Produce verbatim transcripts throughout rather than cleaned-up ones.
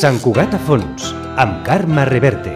Sant Cugat a fons, amb Carme Reverte.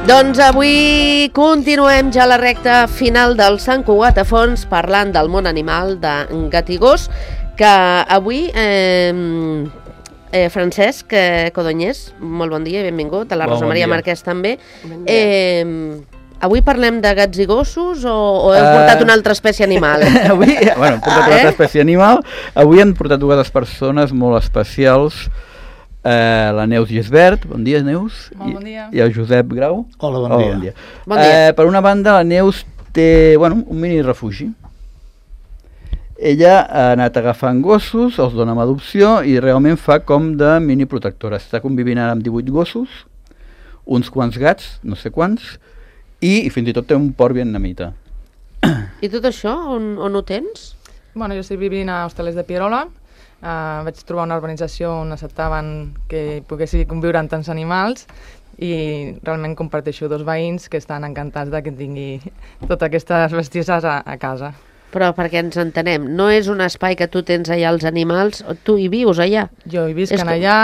Doncs avui continuem ja la recta final del Sant Cugat a fons parlant del món animal de gat i gos, que avui eh, eh, Francesc eh, Codonyés, molt bon dia i benvingut, a la Rosa bon Maria dia. Marquès també. Bon eh, avui parlem de gats i gossos o, o heu portat uh, una altra espècie animal? Avui, bueno, hem portat eh? una altra espècie animal. Avui hem portat dues persones molt especials. Uh, la Neus Gisbert, bon dia Neus. Molt bon dia. I, i el Josep Grau. Hola, bon oh, dia. Bon dia. Bon dia. Uh, per una banda, la Neus té bueno, un mini refugi. Ella ha anat agafant gossos, els dona amb adopció i realment fa com de mini protectora. Està convivint ara amb divuit gossos, uns quants gats, no sé quants, i, i fins i tot té un porc vietnamita. I tot això, on, on ho tens? Bueno, jo estic vivint a Hostalers de Pierola. Uh, vaig trobar una urbanització on acceptaven que poguessi conviure amb tants animals i realment comparteixo dos veïns que estan encantats de que tingui totes aquestes bestieses a, a casa. Però perquè ens entenem, no és un espai que tu tens allà els animals, tu hi vius allà? Jo hi visc com... allà,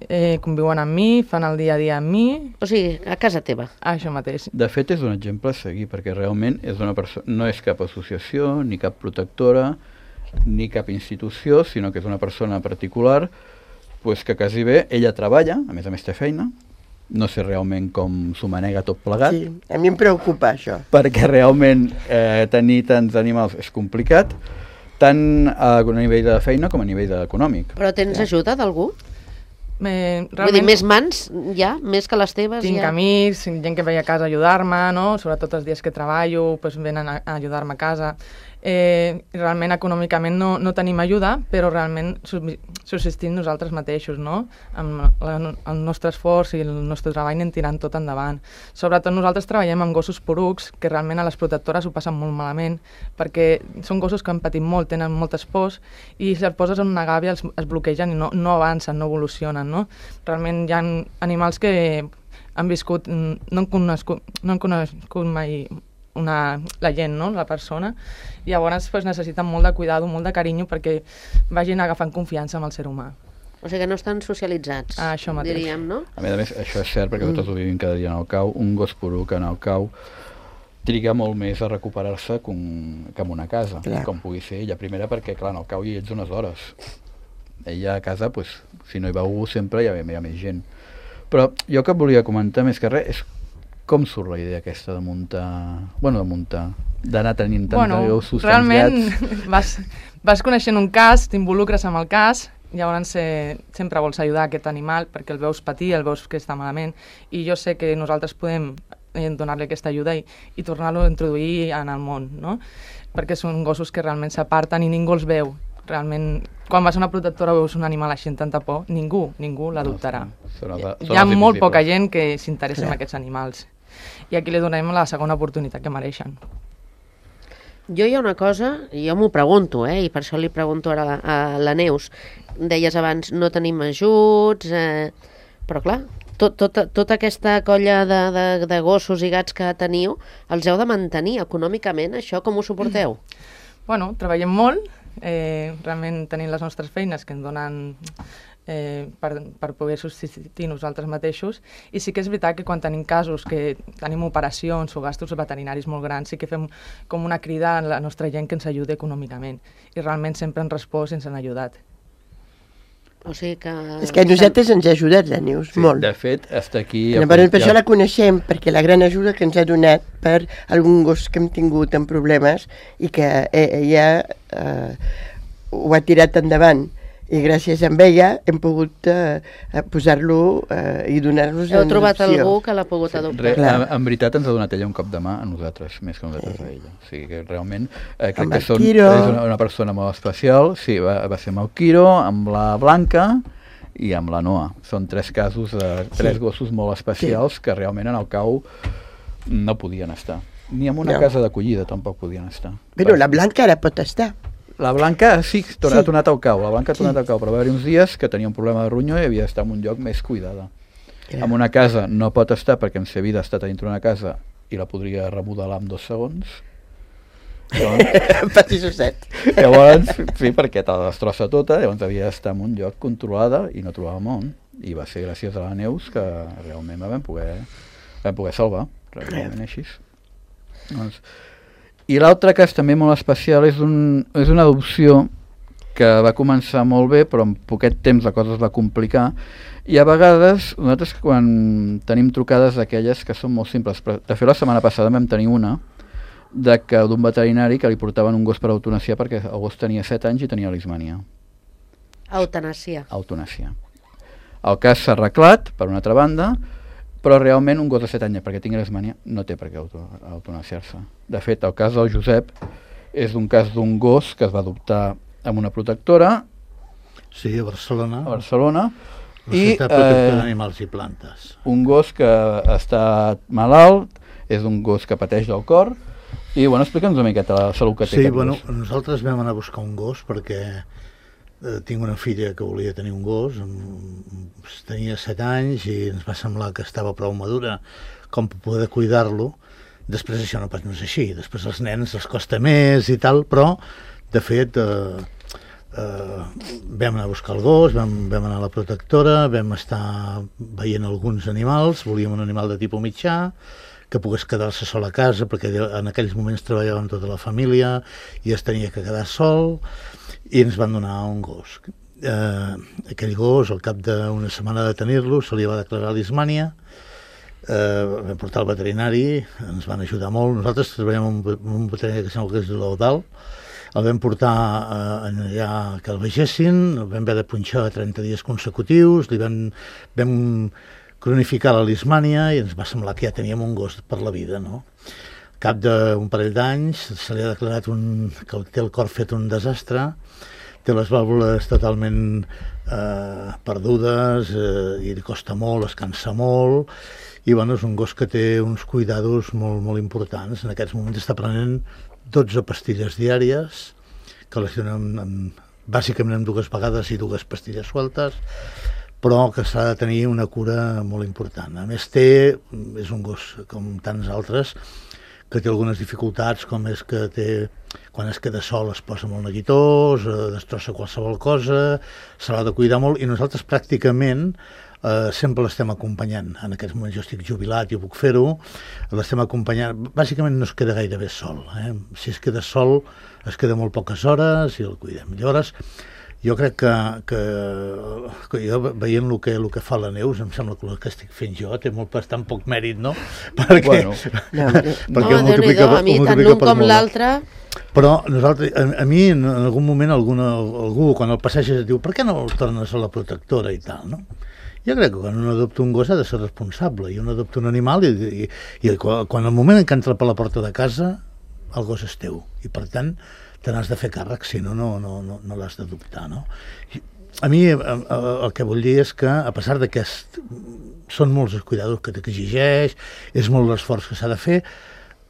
eh, conviuen amb mi, fan el dia a dia amb mi. O sigui, a casa teva? Això mateix. De fet, és un exemple a seguir, perquè realment és una perso- no és cap associació ni cap protectora, ni cap institució, sinó que és una persona particular pues, que quasi bé, ella treballa, a més a més té feina, no sé realment com s'ho manega tot plegat. Sí, a mi em preocupa això. Perquè realment eh, tenir tants animals és complicat, tant a nivell de feina com a nivell econòmic. Però tens ja. ajuda d'algú? Eh, realment, Vull dir, més mans, ja? Més que les teves? Tinc ja? amics, gent que ve a casa a ajudar-me, no? Sobretot els dies que treballo, pues, venen a, a ajudar-me a casa. Eh, realment econòmicament no, no tenim ajuda, però realment subsistim nosaltres mateixos, no? Amb la, el nostre esforç i el nostre treball anem tirant tot endavant. Sobretot nosaltres treballem amb gossos porucs, que realment a les protectores ho passen molt malament, perquè són gossos que han patit molt, tenen moltes pors, i si els poses en una gàbia els, es bloquegen i no, no avancen, no evolucionen, no? Realment hi ha animals que han viscut, no han conegut, no han conegut mai una, la gent, no? La persona, i llavors pues, necessiten molt de cuidado, molt de carinyo perquè vagin agafant confiança amb el ser humà. O sigui que no estan socialitzats, ah, això mateix. diríem, no? A més a més, això és cert perquè mm. nosaltres ho vivim cada dia en el cau, un gos poruc en el cau triga molt més a recuperar-se que, un, que en una casa, clar. Com pugui ser ella. Primera perquè, clar, en el cau hi ets unes hores. Ella a casa, pues, si no hi va algú sempre hi ha, hi ha més gent. Però jo que volia comentar més que res és com surt la idea aquesta de muntar, bueno, de muntar, d'anar tenint tants bueno, gossos, realment tants gats? vas, vas coneixent un cas, t'involucres amb el cas, llavors eh, sempre vols ajudar aquest animal perquè el veus patir, el veus que està malament, i jo sé que nosaltres podem eh, donar-li aquesta ajuda i, i tornar-lo a introduir en el món, no? Perquè són gossos que realment s'aparten i ningú els veu. Realment, quan vas a una protectora veus un animal així amb tanta por, ningú, ningú l'adoptarà. No, són, són, hi ha molt poca gent que s'interessa en aquests animals. I aquí li donem la segona oportunitat que mereixen. Jo hi ha una cosa, jo m'ho pregunto, eh, i per això li pregunto ara a la, a la Neus. Deies abans, no tenim ajuts, eh, però clar, tot, tot, tota aquesta colla de, de, de gossos i gats que teniu, els heu de mantenir econòmicament, això com ho suporteu? Bueno, treballem molt, eh, realment tenim les nostres feines que ens donen eh, per, per poder subsistir nosaltres mateixos, i sí que és veritat que quan tenim casos que tenim operacions o gastos veterinaris molt grans, sí que fem com una crida a la nostra gent que ens ajudi econòmicament, i realment sempre han respost i ens han ajudat. O sigui que... És que a nosaltres ens ha ajudat la Neus, Sí, molt. de fet, està aquí... Llavors, per això la coneixem, perquè la gran ajuda que ens ha donat per algun gos que hem tingut en problemes i que eh, ella eh, ho ha tirat endavant. I gràcies a ella hem pogut eh, posar-lo eh, i donar-los en Heu trobat adopció. algú que l'ha pogut adoptar. Re, en, en veritat ens ha donat ella un cop de mà a nosaltres, més que nosaltres a ella. O sigui que realment eh, crec Amb que el són, Quiro. és una, una persona molt especial. Sí, va, va ser amb el Quiro, amb la Blanca i amb la Noa. Són tres casos de tres Sí. gossos molt especials sí. que realment en el cau no podien estar. Ni en una No. casa d'acollida tampoc podien estar. Però la Blanca ara pot estar. La Blanca sí, torna, Sí. ha tornat al cau. La Blanca ha tornat Sí. al cau, però va haver uns dies que tenia un problema de ronyó i havia d'estar en un lloc més cuidada. Ja. En una casa no pot estar perquè en sa vida està dintre una casa i la podria remodelar en dos segons. Llavors, Patissoset. llavors sí, perquè te la destrossa tota, llavors havia d'estar en un lloc controlada i no trobàvem on. I va ser gràcies a la Neus que realment la vam poder, la vam poder salvar, realment així. Doncs, i l'altre cas també molt especial és, un, és una adopció que va començar molt bé, però en poquet temps la cosa es va complicar, i a vegades nosaltres quan tenim trucades d'aquelles que són molt simples, però de fet la setmana passada vam tenir una de que d'un veterinari que li portaven un gos per eutanasiar perquè el gos tenia set anys i tenia leishmania. Eutanàsia. Eutanàsia. El cas s'ha arreglat, per una altra banda, però realment un gos de set anys perquè tingui leishmania no té per què auto, eutanasiar-se. De fet, el cas del Josep és un cas d'un gos que es va adoptar amb una protectora Sí, a Barcelona. a Barcelona i Societat Protectora eh, d'Animals i Plantes. un gos que està malalt, és un gos que pateix del cor i, bueno, explica'ns una miqueta la salut que té Sí, aquest bueno, gos. nosaltres vam anar a buscar un gos perquè eh, tinc una filla que volia tenir un gos, amb, tenia set anys i ens va semblar que estava prou madura com per poder cuidar-lo. Després això no pas no és així, després als nens els costa més i tal, però de fet eh, eh, vam anar a buscar el gos, vam, vam anar a la protectora, vam estar veient alguns animals, volíem un animal de tipus mitjà, que pogués quedar-se sol a casa, perquè en aquells moments treballàvem tota la família i es tenia que quedar sol, i ens van donar un gos. Eh, aquell gos, al cap d'una setmana de tenir-lo, se li va declarar leishmania, eh, vam portar al veterinari, ens van ajudar molt. Nosaltres treballem amb un, un veterinari que sembla que és de l'Eudal, el vam portar eh, allà que el vegessin, el vam haver de punxar trenta dies consecutius, li vam, vam cronificar la leishmania i ens va semblar que ja teníem un gos per la vida, no? Al cap d'un parell d'anys se li ha declarat un, que té el cor fet un desastre, té les vàlvules totalment eh, perdudes eh, i li costa molt, es cansa molt, i bueno, és un gos que té uns cuidados molt, molt importants. En aquests moments està prenent dotze pastilles diàries, que les donem amb, bàsicament amb dues vegades i dues pastilles sueltes, però que s'ha de tenir una cura molt important. A més té, és un gos com tants altres, que té algunes dificultats, com és que té, quan es queda sol es posa molt neguitós, eh, destrossa qualsevol cosa, se l'ha de cuidar molt, i nosaltres pràcticament eh, sempre l'estem acompanyant. En aquests moments jo estic jubilat i puc fer-ho, l'estem acompanyant, bàsicament no es queda gaire bé sol, eh? Si es queda sol es queda molt poques hores i el cuidem. Llavors, jo crec que, que, que jo veient el que, el que fa la Neus, em sembla que el que estic fent jo té molt bastant poc mèrit, no? Perquè, Bueno. No, perquè no, ho multiplica, Déu-n'hi-do, a mi ho tant multiplica l'un per com molt. l'altre... Però nosaltres, a, a mi en algun moment alguna, algú quan el passeges diu per què no el tornes a la protectora i tal, no? Jo crec que quan un adopta un gos ha de ser responsable, i un adopta un animal i, i, i quan, quan el moment en què entra per la porta de casa el gos és teu, i per tant te n'has de fer càrrec, si no, no, no, no, no l'has d'adoptar, no? I a mi el que vull dir és que, a pesar de que es, són molts els cuidados que t'exigeix, és molt l'esforç que s'ha de fer,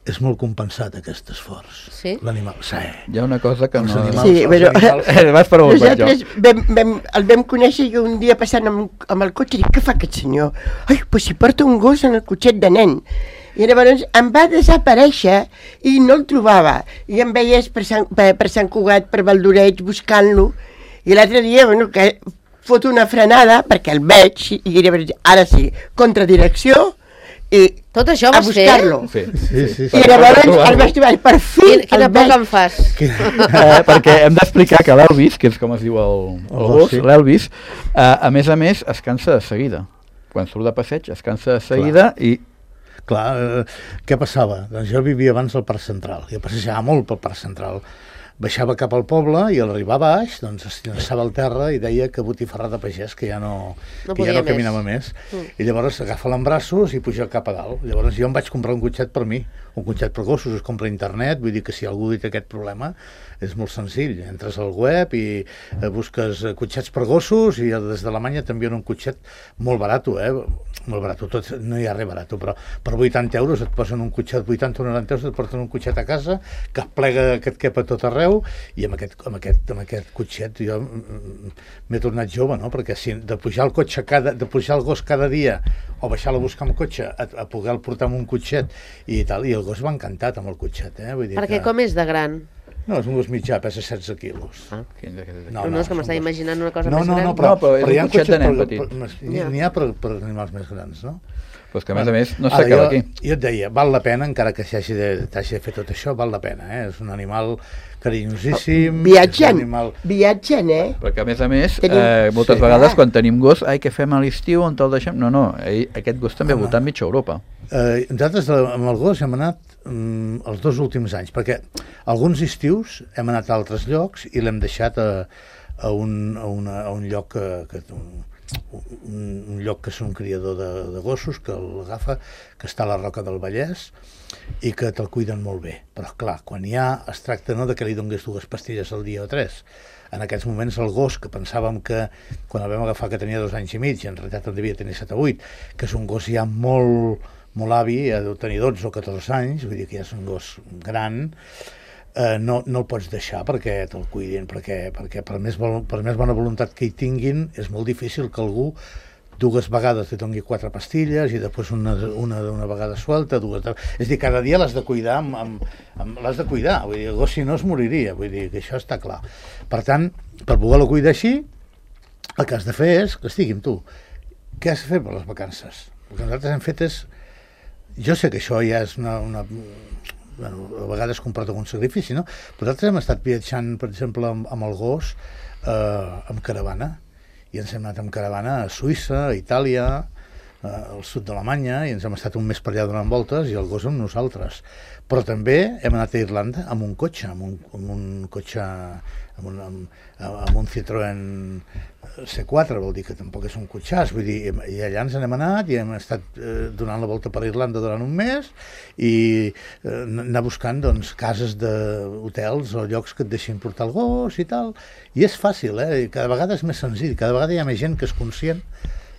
és molt compensat aquest esforç. Sí? L'animal, sí. Hi ha una cosa que Els no... animals, Sí, els però- animals, Eh, vas per on vaig jo. nosaltres vam, vam, el vam conèixer i un dia passant amb, amb el cotxe, dic, què fa aquest senyor? Ai, pues si porta un gos en el cotxet de nen. I llavors em va desaparèixer i no el trobava. I em veies per Sant, per, per Sant Cugat, per Valdoreig, buscant-lo. I l'altre dia, bueno, que fot una frenada perquè el veig i llavors, ara sí, contradirecció, i Tot això a vas fer? buscar-lo. Sí, Sí, sí, sí. I llavors el vaig trobar, per fi Quina, quina el por veig. que em fas. Eh, perquè hem d'explicar que l'Elvis, que és com es diu el, el El gos, gos, sí. l'Elvis, eh, a més a més es cansa de seguida. Quan surt de passeig es cansa de seguida i Clar, eh, què passava? Doncs jo vivia abans al Parc Central, jo passejava molt pel Parc Central. Baixava cap al poble i a l'arribar a baix doncs es llançava al terra i deia que botifarra de pagès, que ja no, No que ja podia no més. caminava més. Mm. I llavors agafa l'embraços i puja cap a dalt. Llavors jo em vaig comprar un cotxet per mi, un cotxet per gossos, es compra a internet, vull dir que si algú té aquest problema és molt senzill. Entres al web i eh, busques eh, cotxets per gossos i des d'Alemanya t'envien un cotxet molt barat, eh? molt barat, tot, no hi ha res barat, però per vuitanta euros et posen un cotxet, vuitanta o noranta euros et porten un cotxet a casa que et plega, que et cap a tot arreu, i amb aquest, amb aquest, amb aquest cotxet jo m'he tornat jove, no? Perquè si de pujar el cotxe cada, de pujar el gos cada dia o baixar-lo a buscar amb cotxe, a, a poder-lo portar amb un cotxet i tal, i el gos va encantat amb el cotxet, eh? Vull dir Perquè que... com és de gran? No, és un gos mitjà, pesa setze quilos. Ah. no, No, no, és que és un m'estava gos. imaginant una cosa No, més no, gran. no, però, No, però és un hi ha cotxet de cotxets nen per- petit. per- N'hi Ja. n'hi ha per, per animals més grans, no? Però és que a més a més no Ara, s'acaba jo, aquí. jo et deia, val la pena, encara que s'hagi de, t'hagi de fer tot això, val la pena, eh? És un animal carinyosíssim. Viatgen, és un animal... viatgen, eh? Perquè a més a més, Tenim- eh, moltes Sí. vegades quan tenim gos, ai, què fem a l'estiu, on te'l deixem? No, no, ell, aquest gos també ha Home. voltat mitja Europa. Eh, nosaltres eh, amb el gos hem anat mm, els dos últims anys, perquè alguns estius hem anat a altres llocs i l'hem deixat a, a, un, a, una, a un lloc que, que un, un, un lloc que és un criador de, de gossos que l'agafa, que està a la Roca del Vallès i que te'l cuiden molt bé. Però clar, quan hi ha, es tracta no de que li donguis dues pastilles al dia o tres. En aquests moments el gos, que pensàvem que quan el vam agafar que tenia dos anys i mig, i en realitat en devia tenir set o vuit, que és un gos ja molt, molt avi, ha de tenir dotze o catorze anys, vull dir que ja és un gos gran, eh, no, no el pots deixar perquè te'l cuidin, perquè, perquè per, més, vol- per més bona voluntat que hi tinguin, és molt difícil que algú dues vegades li doni quatre pastilles i després una, una, una vegada suelta, dues... De... És a dir, cada dia l'has de cuidar, amb, amb, amb, l'has de cuidar, vull dir, el gos si no es moriria, vull dir que això està clar. Per tant, per poder-lo cuidar així, el que has de fer és que estigui amb tu. Què has de fer per les vacances? El que nosaltres hem fet és... Jo sé que això ja és una... una bueno, a vegades comporta un sacrifici, no? Però nosaltres hem estat viatjant, per exemple, amb, amb el gos, eh, amb caravana, i ens hem anat amb caravana a Suïssa, a Itàlia, eh, al sud d'Alemanya, i ens hem estat un mes per allà donant voltes i el gos amb nosaltres. Però també hem anat a Irlanda amb un cotxe, amb un, amb un cotxe, amb un, amb, amb un Citroën C quatre, vol dir que tampoc és un cotxàs, vull dir, i allà ens n'hem anat i hem estat eh, donant la volta per Irlanda durant un mes i eh, anar buscant doncs, cases d'hotels o llocs que et deixin portar el gos i tal, i és fàcil, eh? I cada vegada és més senzill, cada vegada hi ha més gent que és conscient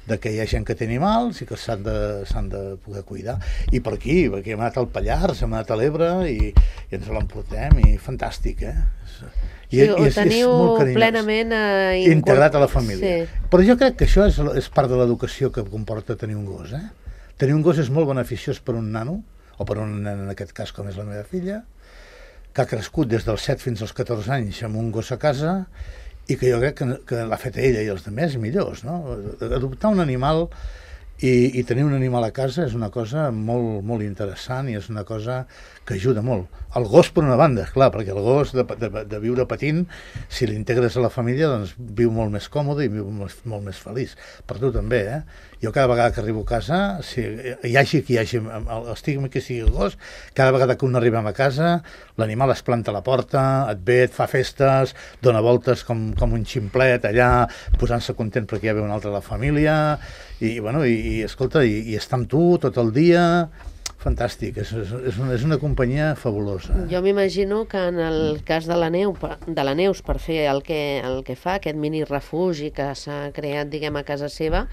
de que hi ha gent que té animals i que s'han de, s'han de poder cuidar. I per aquí, perquè hem anat al Pallars, hem anat a l'Ebre i, i ens l'emportem, i fantàstic, eh? I, Sí, i ho és, és teniu molt carinyós. plenament eh, Integrat a la família. Sí. Però jo crec que això és, és part de l'educació que comporta tenir un gos, eh? Tenir un gos és molt beneficiós per un nano, o per un nen en aquest cas com és la meva filla, que ha crescut des dels set fins als catorze anys amb un gos a casa i que jo crec que, que l'ha fet ella i els altres millors, no? Adoptar un animal i, i tenir un animal a casa és una cosa molt, molt interessant i és una cosa que ajuda molt. El gos per una banda, clar, perquè el gos de, de, de viure patint, si l'integres a la família, doncs viu molt més còmode i viu molt, molt més feliç. Per tu també, eh? Jo cada vegada que arribo a casa, si hi hagi qui hi hagi, estigui qui sigui el gos, cada vegada que un arribem a casa, l'animal es planta a la porta, et ve, et fa festes, dona voltes com, com un ximplet allà, posant-se content perquè ja ve un altre de la família, i, bueno, i, i escolta, i, i està amb tu tot el dia... Fantàstic, és, és, una, és una companyia fabulosa. Jo m'imagino que en el cas de la, neu, de la Neus, per fer el que, el que fa, aquest mini refugi que s'ha creat, diguem, a casa seva,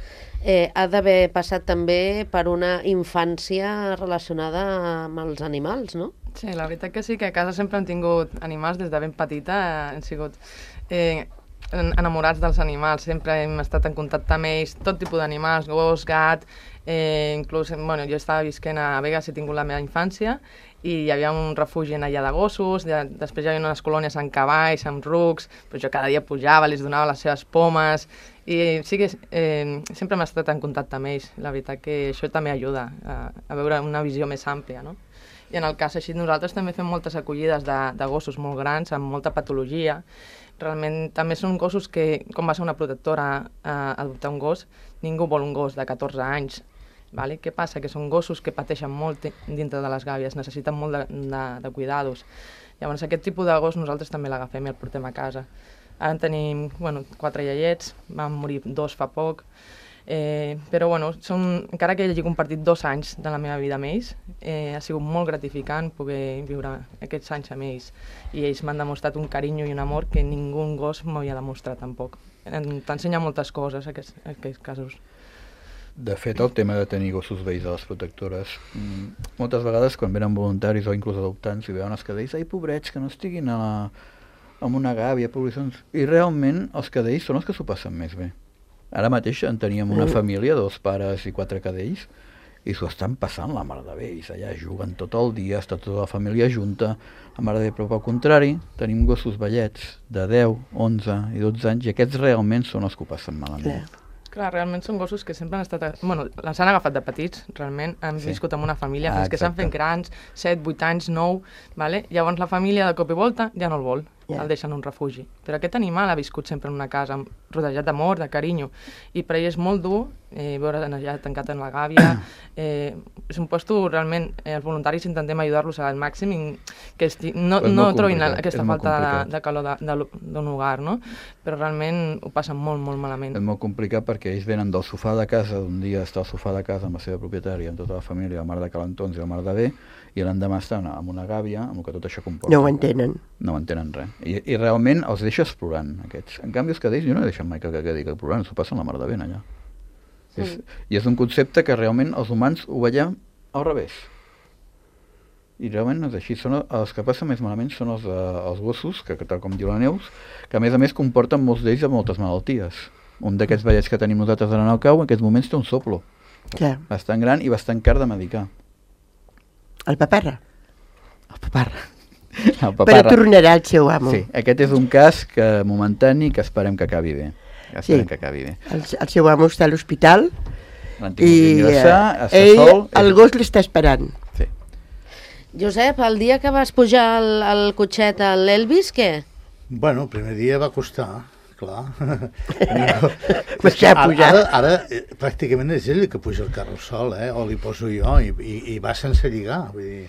eh, ha d'haver passat també per una infància relacionada amb els animals, no? Sí, la veritat que sí, que a casa sempre hem tingut animals des de ben petita, hem sigut eh, enamorats dels animals, sempre hem estat en contacte amb ells, tot tipus d'animals, gos, gat, eh, inclús, bueno, jo estava visquent a Vegas, he tingut la meva infància, i hi havia un refugi en allà de gossos, de, després hi havia unes colònies amb cavalls, amb rucs, però jo cada dia pujava, els donava les seves pomes, i sí que eh, sempre m'he estat en contacte amb ells. La veritat que això també ajuda a, a veure una visió més àmplia, no? I en el cas així, nosaltres també fem moltes acollides de, de gossos molt grans, amb molta patologia. Realment també són gossos que, com va ser una protectora a adoptar un gos, ningú vol un gos de catorze anys. Vale? Què passa? Que són gossos que pateixen molt dintre de les gàbies, necessiten molt de, de, de cuidados. Llavors aquest tipus de gos nosaltres també l'agafem i el portem a casa. Ara en tenim bueno, quatre iaiets, van morir dos fa poc, eh, però bueno, són, encara que hagi compartit dos anys de la meva vida amb ells, eh, ha sigut molt gratificant poder viure aquests anys amb ells, i ells m'han demostrat un carinyo i un amor que ningú gos m'havia demostrat tampoc. T'ensenya moltes coses aquests, aquests casos. De fet, el tema de tenir gossos vells a les protectores, moltes vegades quan venen voluntaris o inclús adoptants i veuen els cadells, ai, pobrets, que no estiguin a la, en una gàbia, poblacions... I realment els cadells són els que s'ho passen més bé. Ara mateix en teníem una família, dos pares i quatre cadells, i s'ho estan passant la mar de bé, ells allà juguen tot el dia, està tota la família junta, la mar de bé, però pel contrari, tenim gossos vellets de deu, onze i dotze anys, i aquests realment són els que ho passen malament. Clar. Clar, realment són gossos que sempre han estat... Bueno, les han agafat de petits, realment, han sí. viscut amb una família, fins ah, que s'han fet grans, set, vuit anys, nou, vale? Llavors la família de cop i volta ja no el vol, yeah. el deixen en un refugi. Però aquest animal ha viscut sempre en una casa, rodejat d'amor, de carinyo, i per ell és molt dur eh, veure allà tancat en la gàbia. Eh, és un puesto, realment, eh, els voluntaris intentem ajudar-los al màxim i que esti... no, no trobin aquesta falta de, de calor d'un hogar, no? Però realment ho passen molt, molt malament. És molt complicat perquè ells venen del sofà de casa, d'un dia està al sofà de casa amb la seva propietària, amb tota la família, la mar de calentons i la mar de bé, i l'endemà estan amb una gàbia, amb el que tot això comporta. No ho entenen. No ho entenen res. I, i realment els deixa explorant, aquests. En canvi, els cadells, jo no he deixat mai que quedi explorant, s'ho passen la mar de bé allà. Mm. És, I és un concepte que realment els humans ho veiem al revés. I realment no és així. Són els que passen més malament són els, els gossos, que tal com diu la Neus, que a més a més comporten molts d'ells amb moltes malalties. Un d'aquests vellets que tenim nosaltres ara en el cau, en aquests moments té un soplo. Clar. Bastant gran i bastant car de medicar. El paparra? El paparra. El paparra. Però tornarà al seu amo. Sí, aquest és un cas que momentani que esperem que acabi bé. Que esperem sí. que acabi bé. El, el seu amo està a l'hospital i ingressar, ell, sol, el gos l'està esperant. Sí. Josep, el dia que vas pujar al, al cotxet a l'Elvis, què? Bueno, el primer dia va costar, clar. ara, ara, ara pràcticament és ell que puja el carro sol, eh? O li poso jo, i, i, i va sense lligar, vull dir,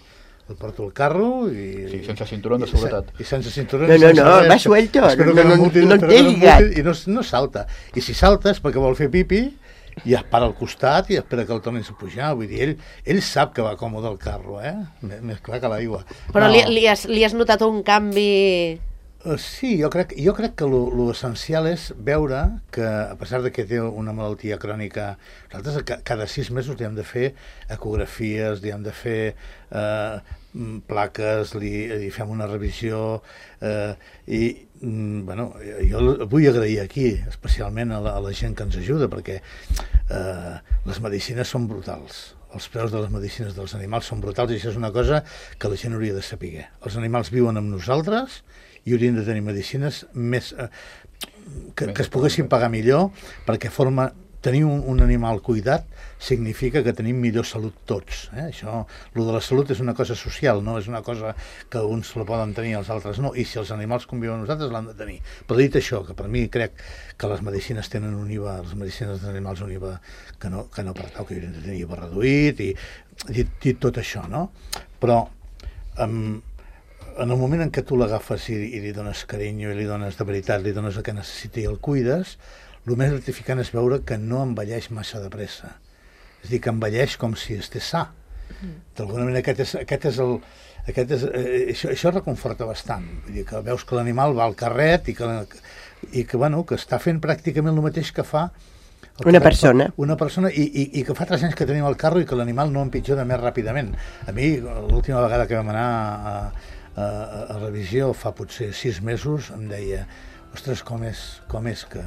el porto al carro i... Sí, sense cinturón de seguretat. I sense cinturón... No, no, no, va suelto, no, no, no, no té lligat. I no, no salta. I si salta és perquè vol fer pipi i es para al costat i espera que el tornin a pujar. Vull dir, ell, ell sap que va còmode el carro, eh? Més clar que l'aigua. Però no. li, li, has, li has notat un canvi... Uh, sí, jo crec, jo crec que l'essencial és veure que, a pesar de que té una malaltia crònica, nosaltres cada sis mesos li hem de fer ecografies, li hem de fer eh, plaques, li, li fem una revisió, eh, i mm, bueno, jo vull agrair aquí especialment a la, a la gent que ens ajuda, perquè eh, les medicines són brutals. Els preus de les medicines dels animals són brutals i això és una cosa que la gent hauria de saber. Els animals viuen amb nosaltres i haurien de tenir medicines més, eh, que, que es poguessin pagar millor, perquè forma, tenir un, un animal cuidat significa que tenim millor salut tots. Eh? Això, lo de la salut és una cosa social, no és una cosa que uns la poden tenir i els altres no, i si els animals conviuen amb nosaltres l'han de tenir. Però dit això, que per mi crec que les medicines tenen un I V A, les medicines dels animals un I V A que no, que no pertau, que haurien de tenir I V A reduït, i dit, dit tot això, no? Però um, en el moment en què tu l'agafes i, i li dones carinyo i li dones de veritat, li dones el que necessita i el cuides, el més gratificant és veure que no envelleix massa de pressa. És a dir, que envelleix com si estés sa. D'alguna manera aquest és, aquest és el... Aquest és, eh, això, això reconforta bastant. Vull dir, que veus que l'animal va al carret i que, i que, bueno, que està fent pràcticament el mateix que fa una persona. Una persona i, i, i que fa tres anys que tenim el carro i que l'animal no empitjora més ràpidament. A mi, l'última vegada que vam anar a, a, a revisió, fa potser sis mesos, em deia, ostres, com és, com és que,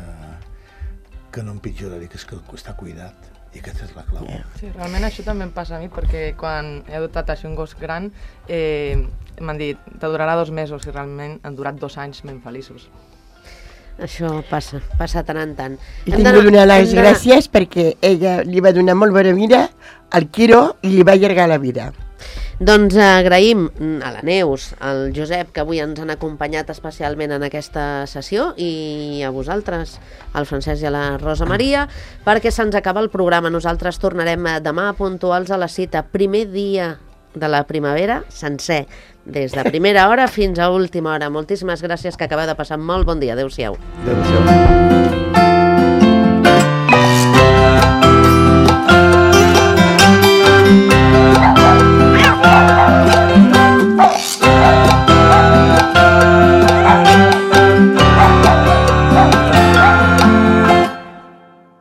que no empitjora, dic, és que està cuidat. I aquesta és la clau. Sí, realment això també em passa a mi, perquè quan he adoptat així un gos gran, eh, m'han dit, te durarà dos mesos, i realment han durat dos anys ben feliços. Això passa, passa tant en tant. I tinc de donar les gràcies perquè ella li va donar molt bona vida al Quiro i li va allargar la vida. Doncs agraïm a la Neus, al Josep, que avui ens han acompanyat especialment en aquesta sessió, i a vosaltres, al Francesc i a la Rosa Maria, perquè se'ns acaba el programa. Nosaltres tornarem demà puntuals a la cita, primer dia de la primavera, sencer, des de primera hora fins a última hora. Moltíssimes gràcies, que acabeu de passar molt bon dia. Adéu-siau. Adéu-siau.